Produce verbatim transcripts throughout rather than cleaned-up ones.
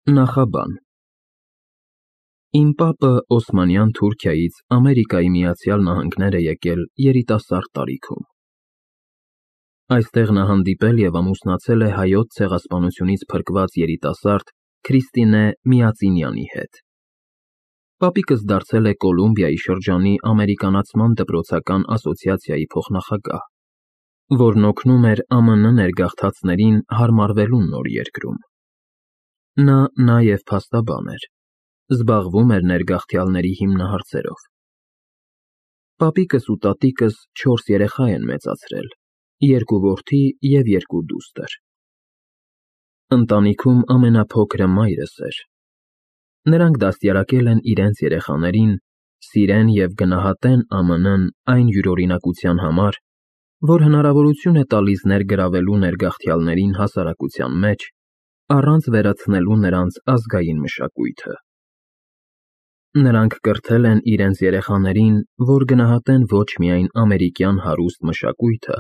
Նախաբան Իմ պապը Օսմանյան Թուրքիայից Ամերիկայի Միացյալ Նահանգներ է եկել երիտասարդ տարիքում։ Այստեղ նա հանդիպել և ամուսնացել է Հայոց ցեղասպանությունից փրկված երիտասարդ Քրիստինե Միածինյանի հետ։ Պապիկս դարձել է Կոլումբիայի շրջանի ամերիկանացման դպրոցական ասոցիացիայի փոխնախագահ, որն օգնում էր ԱՄՆ ներգաղթածներին հարմարվելու նոր երկրում։ Նա նաև փաստաբան էր, զբաղվում էր ներգաղթյալների հիմնահարցերով։ Պապիկս ու տատիկս չորս երեխա են մեծացրել, երկու որդի և երկու դուստր։ Ընտանիքում ամենափոքրը մայրս էր։ Նրանք դաստիարակել են իրենց երեխաներին սիրեն և գնահատեն ԱՄՆ-ն այն յուրօրինակության համար, որ հնարավորություն է տալիս ներգրավելու ներգաղթյալներին հասարակության մեջ, առանց վերացնելու նրանց ազգային մշակույթը։ Նրանք կրթել են իրենց երեխաներին, որ գնահատեն ոչ միայն ամերիկյան հարուստ մշակույթը,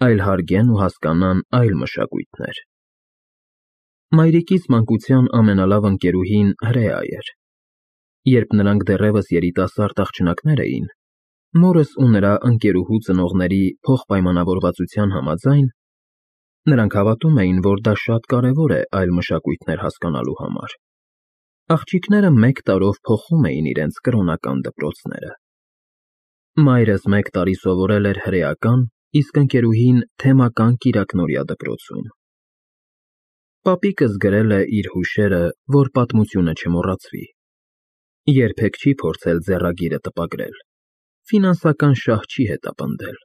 այլ հարգեն ու հասկանան այլ մշակույթներ։ Մայրիկիս մանկության ամենալավ ընկերուհին հրեա էր։ Երբ նրանք դեռևս երիտասարդ աղջնակներ էին, մորս ու նրա ընկերուհու ծնողների փոխպայմանավորվածության համաձայն, նրանք հավատում էին, որ դա շատ կարևոր է այլ մշակույթներ հասկանալու համար, աղջիկները մեկ տարով փոխում էին իրենց կրոնական դպրոցները։ Մայրս մեկ տարի սովորել էր հրեական, իսկ ընկերուհին թեմական կիրակնօրյա դպրոցում։ Պապիկս գրել է իր հուշերը, որ պատմությունը չմոռացվի։ Երբեք չի փորձել ձեռագիրը տպագրել, ֆինանսական շահ չի հետապնդել։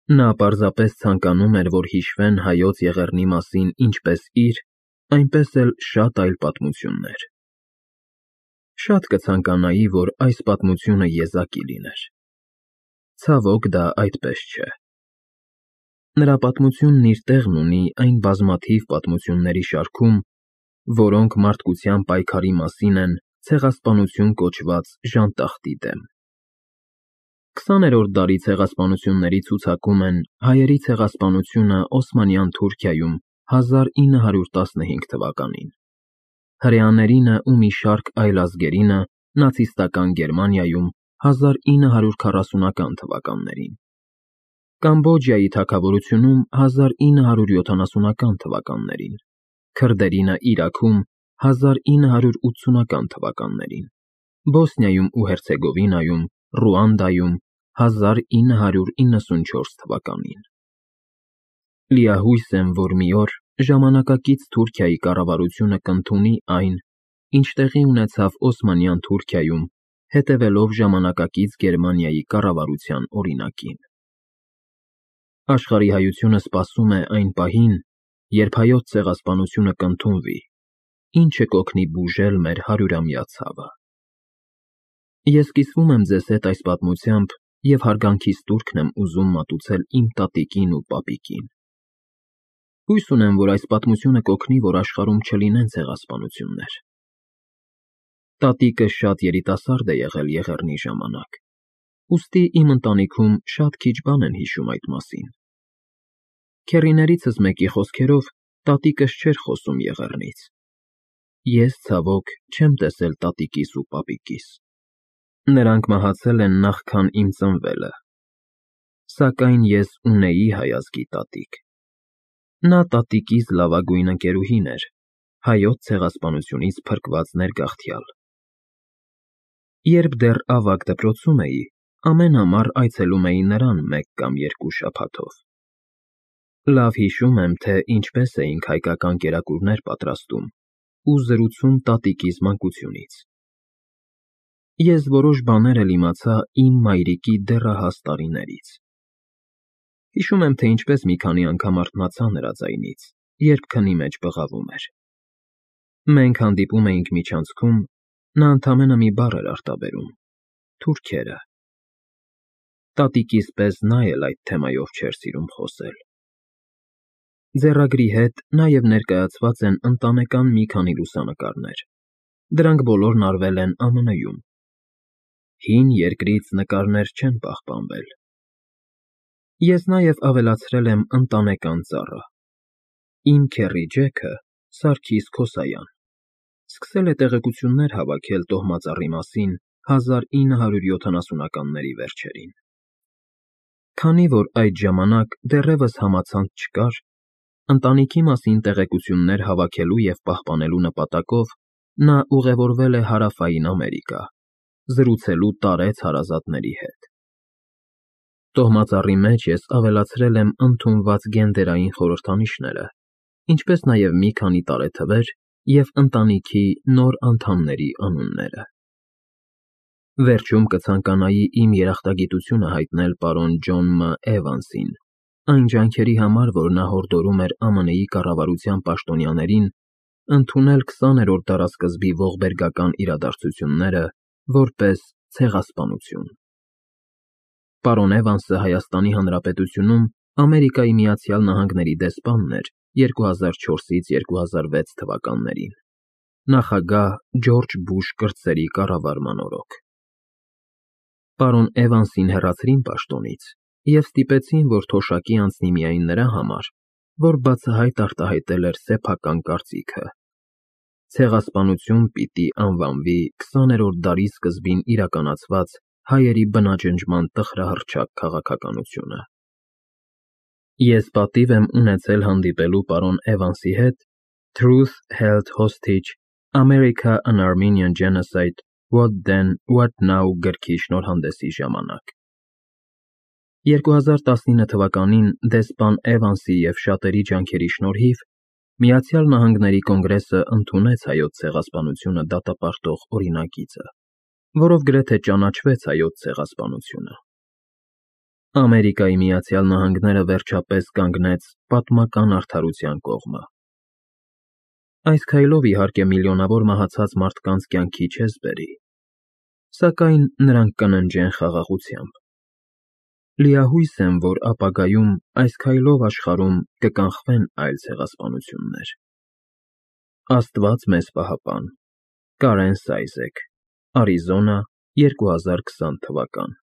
Նա պարզապես ցանկանում էր, որ հիշվեն Հայոց եղեռնի մասին ինչպես իր, այնպես էլ շատ այլ պատմություններ։ Շատ կցանկանայի, որ այս պատմությունը եզակի լիներ։ Ցավոք, դա այդպես չէ։ Նրա պատմությունն իր տեղն ունի այն բազմաթիվ պատմությունների շարքում, որոնք մարդկության պայքարի մասին են ցեղասպանություն կոչված ժանտախտի դեմ։ Քսաներորդ դարի ցեղասպանությունների ցուցակում են հայերի ցեղասպանությունը Օսմանյան Թուրքիայում հազար ինը հարյուր տասնհինգ թվականին, հրեաներինը ու մի շարք այլ ազգերինը նացիստական Գերմանիայում հազար ինը հարյուր քառասունական թվականներին, Կամբոջայի թագավորությունում հազար ինը հարյուր յոթանասունական թվականներին, քրդերինը Իրաքում հազար ինը հարյուր ութսունական թվականներին, Բոսնիայում ու Հերցեգովինայում, Ռուանդայում հազար ինը հարյուր իննսունչորս թվականին։ Լիահույս եմ, որ մի օր ժամանակակից Թուրքիայի կառավարությունը կընդունի այն, ինչ տեղի ունեցավ Օսմանյան Թուրքիայում, հետևելով ժամանակակից Գերմանիայի կառավարության օրինակին։ Աշխարհի հայությունը սպասում է այն պահին, երբ Հայոց ցեղասպանությունը կընդունվի, ինչը կօգնի բուժել մեր հարյուրամյա ցավը։ Ես կիսվում եմ ձեզ հետ այս պատմությամբ և հարգանքիս տուրքն եմ ուզում մատուցել իմ տատիկին ու պապիկին։ Հույս ունեմ, որ այս պատմությունը կօգնի, որ աշխարհում չլինեն ցեղասպանություններ։ Տատիկս շատ երիտասարդ է եղել եղեռնի ժամանակ, ուստի իմ ընտանիքում շատ քիչ բան են հիշում այդ մասին։ Քեռիներիցս մեկի խոսքերով, տատիկս չէր խոսում եղեռնից։ Ես, ցավոք, չեմ տեսել տատիկիս ու պապիկիս։ Նրանք մահացել են նախքան իմ ծնվելը։ Սակայն ես ունեի հայ ազգի տատիկ։ Նա տատիկիս լավագույն ընկերուհին էր, Հայոց ցեղասպանությունից փրկված ներգաղթյալ։ Երբ դեռ ավագ դպրոցում էի, ամեն ամառ այցելում էի նրան մեկ կամ երկու շաբաթով։ Լավ հիշում եմ, թե ինչպես էինք հայկական կերակուրներ պատրաստում ու զրուցում տատիկիս մանկությունից։ Ես որոշ բաներ էլ իմացա իմ մայրիկի դեռահաս տարիներից։ Հիշում եմ, թե ինչպես մի քանի անգամ արթնացա նրա ձայնից, երբ քնի մեջ բղավում էր։ Մենք հանդիպում էինք միջանցքում, նա ընդամենը մի բառ էր արտաբերում՝ թուրքերը։ Տատիկիս պես նա էլ այդ թեմայով չէր սիրում խոսել։ Ձեռագրի հետ նաև ներկայացված են ընտանեկան մի քանի լուսանկարներ, դրանք բոլորն արվել են ԱՄՆ-ում։ Հին երկրից նկարներ չեն պահպանվել։ Ես նաև ավելացրել եմ ընտանեկան ծառը։ Իմ քեռի Ջեքը Սարգիս Քոսայան, սկսել է տեղեկություններ հավաքել տոհմածառի մասին հազար ինը հարյուր յոթանասունականների վերջերին։ Քանի որ այդ ժամանակ դեռևս համացանց չկար, ընտանիքի մասին տեղեկություններ հավաքելու և պահպանելու նպատակով նա ուղևորվել է Հարավային Ամերիկա՝ զրուցելու տարեց հարազատների հետ։ Տոհմածառի մեջ ես ավելացրել եմ ընդունված գենդերային խորհրդանիշները, ինչպես նաև մի քանի տարեթվեր և ընտանիքի նոր անդամների անունները։ Վերջում կցանկանայի իմ երախտագիտությունը հայտնել պարոն Ջոն Մ. Էվանսին, այն ջանքերի համար, որ նա հորդորում էր Ամն Ի կառավարության պաշտոնյաներին ընդունել քսաներորդ դարասկզբի ողբերգական իրադարձությունները որպես ցեղասպանություն։ Պարոն Էվանսը Հայաստանի Հանրապետությունում Ամերիկայի Միացյալ Նահանգների դեսպանն էր երկու հազար չորսից երկու հազար վեց թվականներին, նախագահ Ջորջ Բուշ կրտսերի կառավարման օրոք։ Պարոն Էվանսին հեռացրին պաշտոնից և ստիպեցին, որ թոշակի անցնի միայն նրա համար, որ բացահայտ արտահայտել էր սեփական կարծիքը։ Ցեղասպանություն պիտի անվանվի քսաներորդ դարի սկզբին իրականացված հայերի բնաջնջման տխրահռչակ քաղաքականությունը։ Ես պատիվ եմ ունեցել հանդիպելու պարոն Էվանսի հետ Truth Held Hostage, America an Armenian Genocide, What Then, What Now գրքի շնորհանդեսի ժամանակ։ երկու հազար տասնինը թվականին դեսպան Էվանսի և շատերի ջանքերի շնորհիվ Միացյալ Նահանգների Կոնգրեսը ընդունեց Հայոց ցեղասպանությունը դատապարտող օրինագիծը, որով գրեթե ճանաչվեց Հայոց ցեղասպանությունը։ Ամերիկայի Միացյալ Նահանգները վերջապես կանգնեց պատմական արդարության կողմը։ Այս քայլով, իհարկե, միլիոնավոր մահացած մարդկանց կյանքի չես բերի, սակայն նրանք կննջեն խաղաղությամբ։ Լիահույս եմ, որ ապագայում այս քայլով աշխարհում կկանխվեն այլ ցեղասպանություններ։ Աստված մեզ պահապան։ Կարեն Սայզեք, Արիզոնա, երկու հազար քսան թվական։